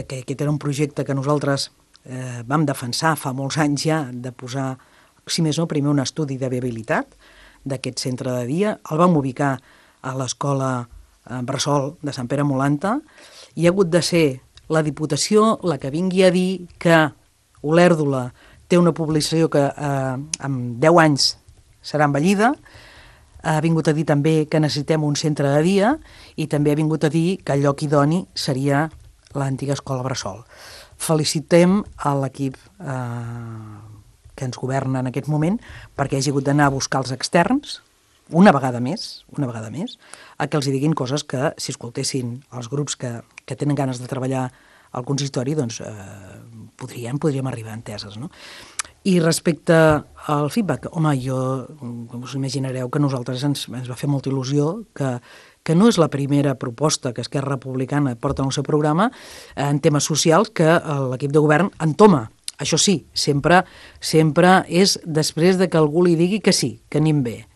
que aquest era un projecte que nosaltres vam defensar fa molts anys ja, de posar, si més no, primer un estudi de viabilitat d'aquest centre de dia. El vam ubicar a l'escola Bressol de Sant Pere Molanta i ha hagut de ser la Diputació la que vingui a dir que Olèrdola té una població que en 10 anys serà envellida, ha vingut a dir també que necessitem un centre de dia i també ha vingut a dir que el lloc idoni seria l'antiga escola Bressol. Felicitem a l'equip que ens governa en aquest moment perquè hagi hagut d'anar a buscar els externs una vegada més, a que els diguin coses que, si escoltessin els grups que tenen ganes de treballar al consistori, doncs podríem arribar a enteses, no? I respecte al feedback, home, com us imaginareu que a nosaltres ens va fer molta il·lusió que no és la primera proposta que Esquerra Republicana porta en el seu programa en temes socials que l'equip de govern entoma. Això sí, sempre és després de que algú li digui que sí, que anem bé,